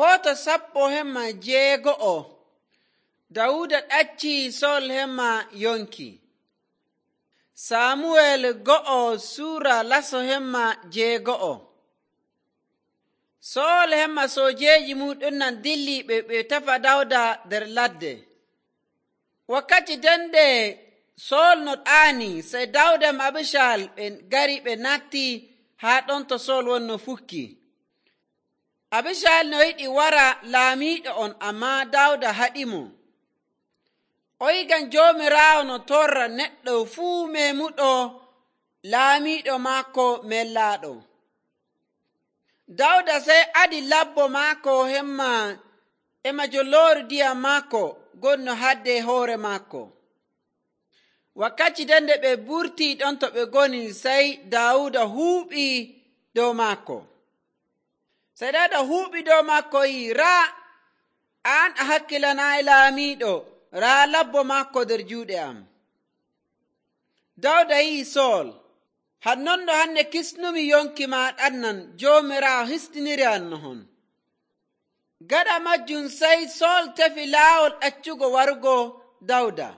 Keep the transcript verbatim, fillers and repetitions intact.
Foto sappo hemma jeego'o. Dawuda ɗaccii Sol hemma yonki. Samuwel go'o suura laso hemma jeego'o. Sol hemma soojeeji muɗum nan dilli ɓe ɓe tefa Dawda nder ladde. Wakkati den nde Sol no ɗaani, sey Dawda e Abisal ɓe ngari ɓe natti haa ɗon to Sol wonno fukki. Abisal no yiɗi wara laamiiɗo on, ammaa Dawda haɗimo. O yi ngam Joomiraawo no torra neɗɗo fuu meemuɗo laamiiɗo maako mellaaɗo. Dawda sey adi labbo maako hemma e majoloori ndiyam maako gonno hadde hoore maako. Wakkati den nde ɓe burtii ɗon to ɓe ngoni, sey Dawuda huuɓii dow maako. Sey Dawda huuɓii dow maako yi, raa aan a hakkilanaayi laamiiɗo, raa labbo maako nder juuɗe am. Dawda yi'i Sol, hannondo hande kisnumi yonki ma ɗannan, Joomiraawo histiniri am no hon. Gaɗa majjum sey Sol tefi laawol ɗaccugo warugo Dawda.